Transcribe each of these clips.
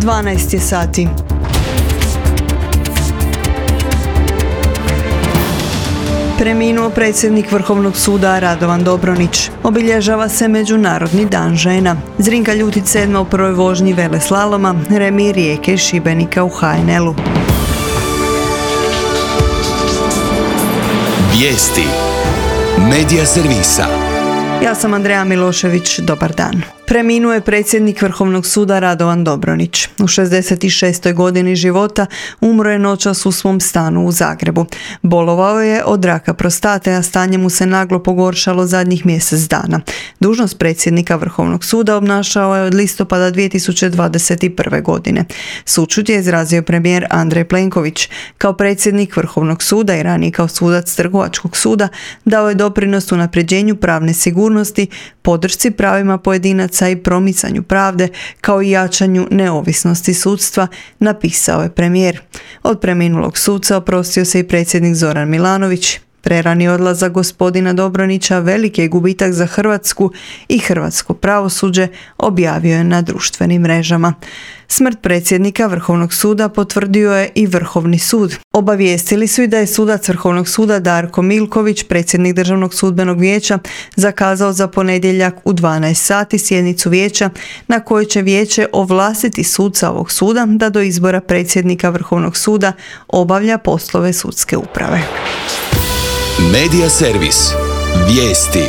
12 je sati. Preminuo predsjednik Vrhovnog suda Radovan Dobronić. Obilježava se Međunarodni dan žena. Zrinka Ljutic 7. u prvoj vožnji veleslaloma, remi Rijeke i Šibenika u HNL-u. Vijesti Medija servisa. Ja sam Andreja Milošević, dobar dan. Preminuo je predsjednik Vrhovnog suda Radovan Dobronić. U 66. godini života umro je noćas u svom stanu u Zagrebu. Bolovao je od raka prostate, a stanje mu se naglo pogoršalo zadnjih mjesec dana. Dužnost predsjednika Vrhovnog suda obnašao je od listopada 2021. godine. Sućut je izrazio premijer Andrej Plenković. Kao predsjednik Vrhovnog suda i ranije kao sudac Trgovačkog suda dao je doprinos unapređenju pravne sigurnosti, podršci pravima pojedinaca i promicanju pravde, kao i jačanju neovisnosti sudstva, napisao je premijer. Od preminulog suca oprostio se i predsjednik Zoran Milanović. Prerani odlazak gospodina Dobronića veliki je gubitak za Hrvatsku i hrvatsko pravosuđe, objavio je na društvenim mrežama. Smrt predsjednika Vrhovnog suda potvrdio je i Vrhovni sud. Obavijestili su i da je sudac Vrhovnog suda Darko Milković, predsjednik Državnog sudbenog vijeća, zakazao za ponedjeljak u 12 sati sjednicu vijeća na kojoj će vijeće ovlastiti suca ovog suda da do izbora predsjednika Vrhovnog suda obavlja poslove sudske uprave. Medija servis. Vijesti.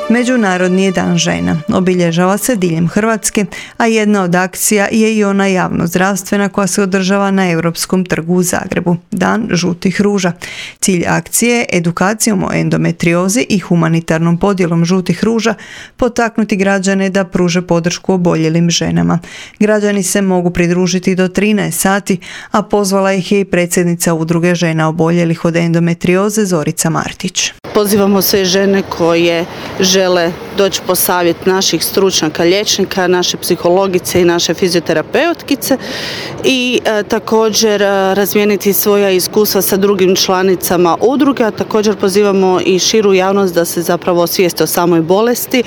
Međunarodni je dan žena. Obilježava se diljem Hrvatske, a jedna od akcija je i ona javno-zdravstvena koja se održava na Europskom trgu u Zagrebu. Dan žutih ruža. Cilj akcije je edukacijom o endometriozi i humanitarnom podjelom žutih ruža potaknuti građane da pruže podršku oboljelim ženama. Građani se mogu pridružiti do 13 sati, a pozvala ih je i predsjednica Udruge žena oboljelih od endometrioze Zorica Martić. Pozivamo sve žene koje žele doći po savjet naših stručnjaka, liječnika, naše psihologice i naše fizioterapeutkice i također razmijeniti svoja iskustva sa drugim članicama udruge, a također pozivamo i širu javnost da se zapravo osvijeste o samoj bolesti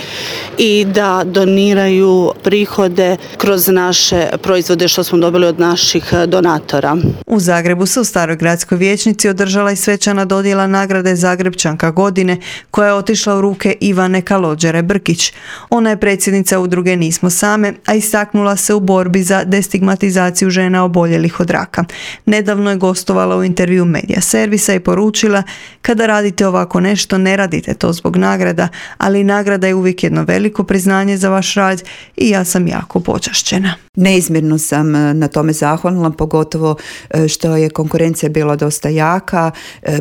i da doniraju prihode kroz naše proizvode što smo dobili od naših donatora. U Zagrebu se u Staroj gradskoj vijećnici održala i svečana dodjela nagrade Zagrebčanka godine koja je otišla u ruke Ivane Kalođere Brkić. Ona je predsjednica udruge Nismo same, a istaknula se u borbi za destigmatizaciju žena oboljelih od raka. Nedavno je gostovala u intervju Medija servisa i poručila: kada radite ovako nešto, ne radite to zbog nagrada, ali nagrada je uvijek jedno veliko priznanje za vaš rad i ja sam jako počašćena. Neizmjerno sam na tome zahvalna, pogotovo što je konkurencija bila dosta jaka.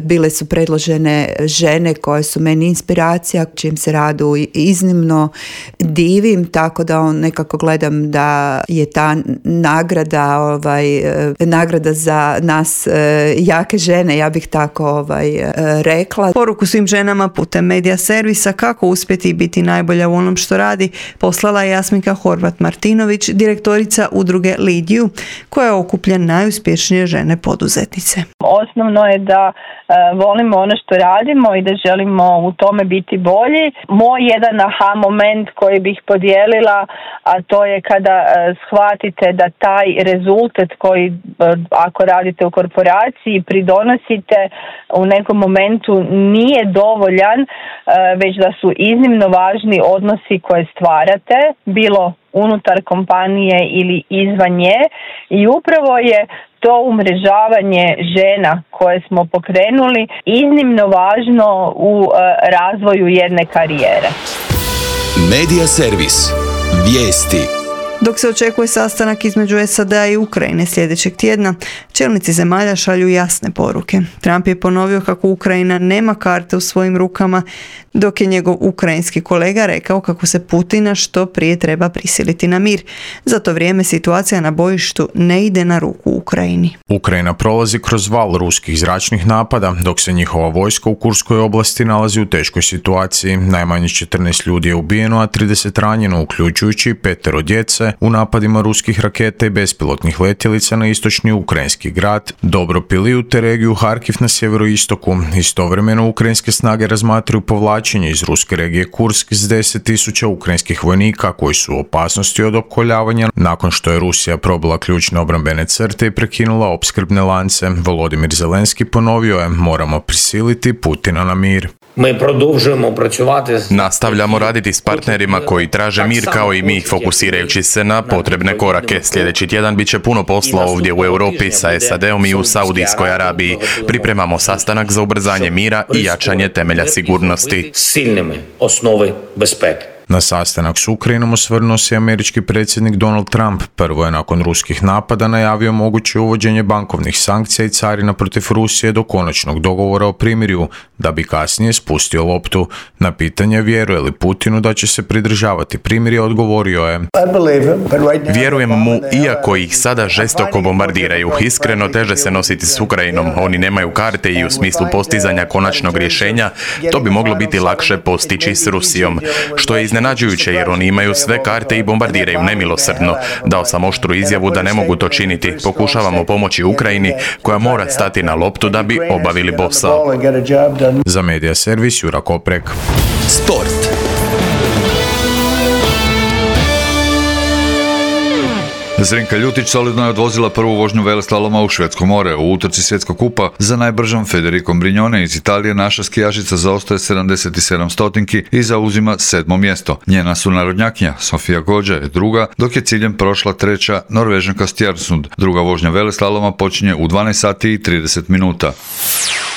Bile su predložene žene koje su meni inspiracija, čijem se radu iznimno divim, tako da nekako gledam da je ta nagrada za nas jake žene, ja bih tako rekla. Poruku svim ženama putem Medija servisa kako uspjeti biti najbolja u onom što radi poslala je Jasminka Horvat-Martinović, direktorica udruge Lead You, koja okuplja najuspješnije žene poduzetnice. Osnovno je da volimo ono što radimo i da želimo u tome biti bolji. Moj jedan aha moment koji bih podijelila, a to je kada shvatite da taj rezultat koji ako radite u korporaciji pridonosite u nekom momentu nije dovoljan, već da su iznimno važni odnosi koje stvarate, bilo unutar kompanije ili izvan nje, i upravo je to umrežavanje žena koje smo pokrenuli iznimno važno u razvoju jedne karijere. Medija servis. Vijesti. Dok se očekuje sastanak između SAD-a i Ukrajine sljedećeg tjedna, čelnici zemalja šalju jasne poruke. Trump je ponovio kako Ukrajina nema karte u svojim rukama, dok je njegov ukrajinski kolega rekao kako se Putina što prije treba prisiliti na mir. Za to vrijeme situacija na bojištu ne ide na ruku Ukrajini. Ukrajina prolazi kroz val ruskih zračnih napada, dok se njihova vojska u Kurskoj oblasti nalazi u teškoj situaciji. Najmanje 14 ljudi je ubijeno, a 30 ranjeno, uključujući 5 djece u napadima ruskih raketa i bespilotnih letjelica na istočni ukrajinski Ukrajinski grad Dobropiliju te regiju Harkiv na sjeveroistoku. Istovremeno ukrajinske snage razmatraju povlačenje iz ruske regije Kursk s 10.000 ukrajinskih vojnika koji su u opasnosti od opkoljavanja nakon što je Rusija probila ključne obrambene crte i prekinula opskrbne lance. Volodimir Zelenski ponovio je: moramo prisiliti Putina na mir. Nastavljamo raditi s partnerima koji traže mir kao i mi, fokusirajući se na potrebne korake. Sljedeći tjedan bit će puno posla ovdje u Europi sa SAD-om i u Saudijskoj Arabiji. Pripremamo sastanak za ubrzanje mira i jačanje temelja sigurnosti. Na sastanak s Ukrajinom osvrnuo se američki predsjednik Donald Trump. Prvo je nakon ruskih napada najavio moguće uvođenje bankovnih sankcija i carina protiv Rusije do konačnog dogovora o primirju, da bi kasnije spustio loptu. Na pitanje vjeruje li Putinu da će se pridržavati primirja, odgovorio je: Vjerujem mu, iako ih sada žestoko bombardiraju. Iskreno teže se nositi s Ukrajinom. Oni nemaju karte i u smislu postizanja konačnog rješenja to bi moglo biti lakše postići s Rusijom. Što je iznenađujuće jer oni imaju sve karte i bombardiraju nemilosrdno. Dao sam oštru izjavu da ne mogu to činiti. Pokušavamo pomoći Ukrajini koja mora stati na loptu da bi obavili posao. Za Medija servis Jura Koprek. Sport. Zrinka Ljutić solidno je odvozila prvu vožnju veleslaloma u Švedsko more. U utrci svjetskog kupa za najbržom Federicom Brignone iz Italije naša skijašica zaostaje 77 stotinki i zauzima 7. mjesto. Njena sunarodnjakinja Sofia Gođa je druga, dok je ciljem prošla treća Norvežanka Stjarsund. Druga vožnja veleslaloma počinje u 12 sati i 30 minuta.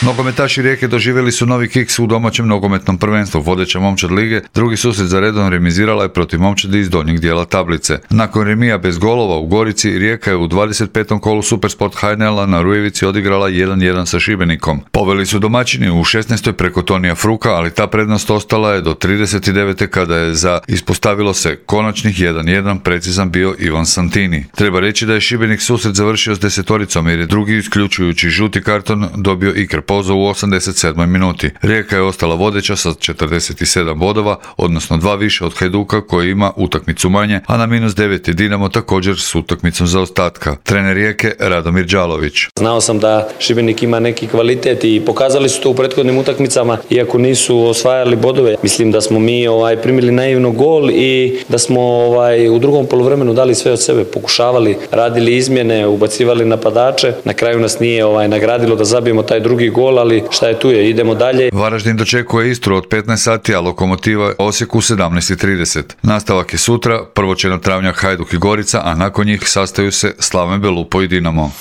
Nogometaši Rijeke doživjeli su novi kiks u domaćem nogometnom prvenstvu. Vodeća momčad lige drugi susret za redom remizirala je protiv momčadi iz donjeg dijela tablice. Nakon remija bez golova u Gorici, Rijeka je u 25. kolu Supersport Hajnela na Rujevici odigrala 1-1 sa Šibenikom. Poveli su domaćini u 16. preko Tonija Fruka, ali ta prednost ostala je do 39. kada je za ispostavilo se konačnih 1-1 precizan bio Ivan Santini. Treba reći da je Šibenik susret završio s 10-oricom jer je drugi, isključujući žuti karton, dobio Iker Pozo u 87. minuti. Rijeka je ostala vodeća sa 47 bodova, odnosno 2 više od Hajduka koji ima utakmicu manje, a na -9 je Dinamo također s utakmicom zaostatka. Trener Rijeke Radomir Đalović. Znao sam da Šibenik ima neki kvalitet i pokazali su to u prethodnim utakmicama, iako nisu osvajali bodove. Mislim da smo mi primili naivno gol i da smo u drugom poluvremenu dali sve od sebe, pokušavali, radili izmjene, ubacivali napadače. Na kraju nas nije nagradilo da zabijemo taj drugi gol, ali šta je tu je, idemo dalje. Varaždin dočekuje Istru od 15 sati, a Lokomotiva Osijek u 17:30. Nastavak je sutra, prvo će na travnjak Hajduk i Gorica, a nakon njih sastaju se Slaven Belupo i Dinamo.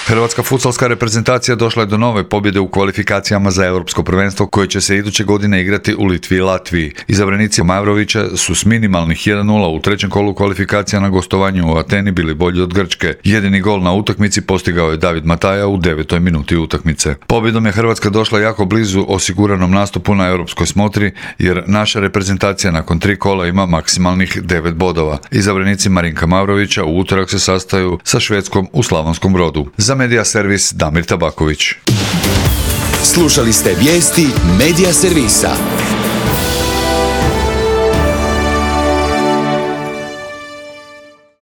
Hrvatska futsalska reprezentacija došla je do nove pobjede u kvalifikacijama za europsko prvenstvo koje će se iduće godine igrati u Litvi i Latviji. Izabranici Mavrovića su s minimalnih 1-0 u trećem kolu kvalifikacija na gostovanju u Ateni bili bolji od Grčke. Jedini gol na utakmici postigao je David Mataja u 9. minuti utakmice. Pobjedom je Hrvatska došla jako blizu osiguranom nastupu na europskoj smotri jer naša reprezentacija nakon 3 kola ima maksimalnih 9 bodova. Izabranici Marinka Mavrovića u utorak se sastaju sa Švedskom u Slavonskom Brodu. Za Medija servis Damir Tabaković. Slušali ste vijesti Medija servisa.